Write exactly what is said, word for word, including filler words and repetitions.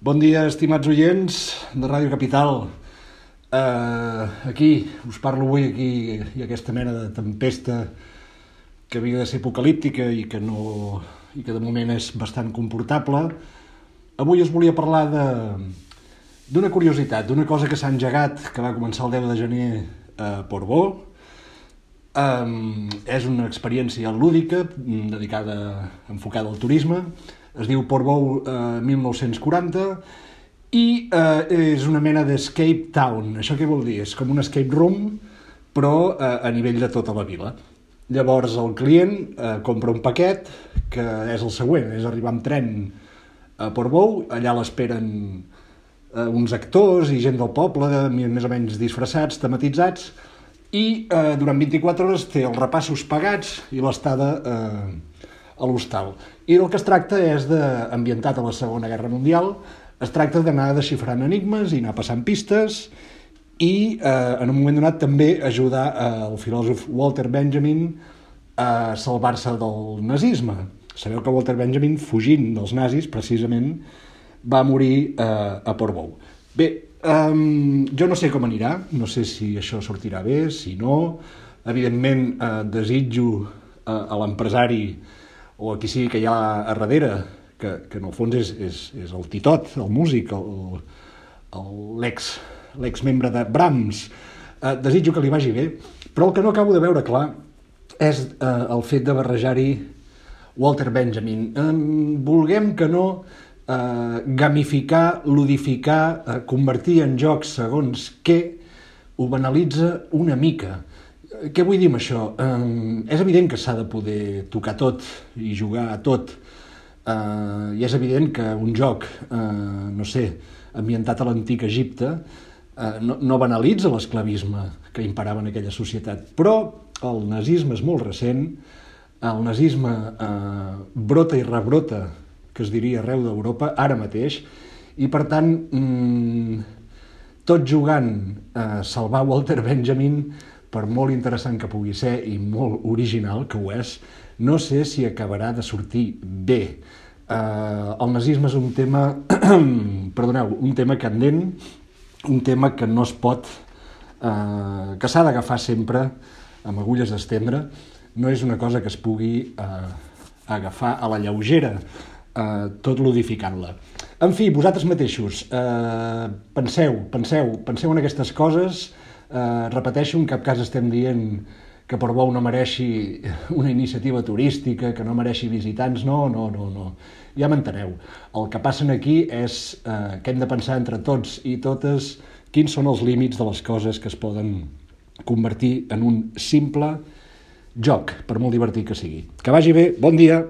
Bon dia, estimats oients de Ràdio Capital. Uh, aquí, us parlo avui aquí, hi ha aquesta mena de tempesta que havia de ser apocalíptica i que, no, i que de moment és bastant comportable. Avui us volia parlar de, d'una curiositat, d'una cosa que s'ha engegat, que va començar el deu de gener a Portbou. Um, és una experiència lúdica dedicada, enfocada al turisme. Es diu Portbou eh, mil nou-cents quaranta i eh, és una mena d'escape town. Això què vol dir? És com un escape room, però eh, a nivell de tota la vila. Llavors el client eh, compra un paquet que és el següent, és arribar amb tren a Portbou, allà l'esperen eh, uns actors i gent del poble, més o menys disfressats, tematitzats, i eh, durant vint-i-quatre hores té els repassos pagats i l'estada eh, a l'hostal. I del que es tracta és de, ambientat a la Segona Guerra Mundial, es tracta d'anar desxifrant enigmes i anar passant pistes i eh, en un moment donat també ajudar eh, el filòsof Walter Benjamin a salvar-se del nazisme. Sabeu que Walter Benjamin, fugint dels nazis, precisament, va morir eh, a Portbou. Bé, Um, jo no sé com anirà, no sé si això sortirà bé, si no. Evidentment eh, desitjo eh, a l'empresari o a qui sigui que hi ha a darrere, que, que en el fons és, és, és el Titot, el músic, el, el, l'ex, l'ex-membre de Brahms, eh, desitjo que li vagi bé, però el que no acabo de veure clar és eh, el fet de barrejar-hi Walter Benjamin. Eh, vulguem que no, Uh, gamificar, ludificar, uh, convertir en jocs segons què, ho banalitza una mica. Uh, què vull dir amb això? Uh, és evident que s'ha de poder tocar tot i jugar a tot. Uh, I és evident que un joc, uh, no sé, ambientat a l'antic Egipte, uh, no, no banalitza l'esclavisme que imperava en aquella societat. Però el nazisme és molt recent, el nazisme uh, brota i rebrota, que es diria arreu d'Europa, ara mateix, i per tant, mmm, tot jugant a salvar Walter Benjamin, per molt interessant que pugui ser i molt original, que ho és, no sé si acabarà de sortir bé. Uh, el nazisme és un tema, perdoneu, un tema candent, un tema que no es pot, uh, que s'ha d'agafar sempre amb agulles d'estendre, no és una cosa que es pugui uh, agafar a la lleugera, Uh, tot ludificant-la. En fi, vosaltres mateixos, uh, penseu, penseu, penseu en aquestes coses, uh, repeteixo, en cap cas estem dient que Portbou no mereixi una iniciativa turística, que no mereixi visitants, no, no, no, no. Ja m'enteneu. El que passa aquí és uh, que hem de pensar entre tots i totes quins són els límits de les coses que es poden convertir en un simple joc, per molt divertit que sigui. Que vagi bé, bon dia!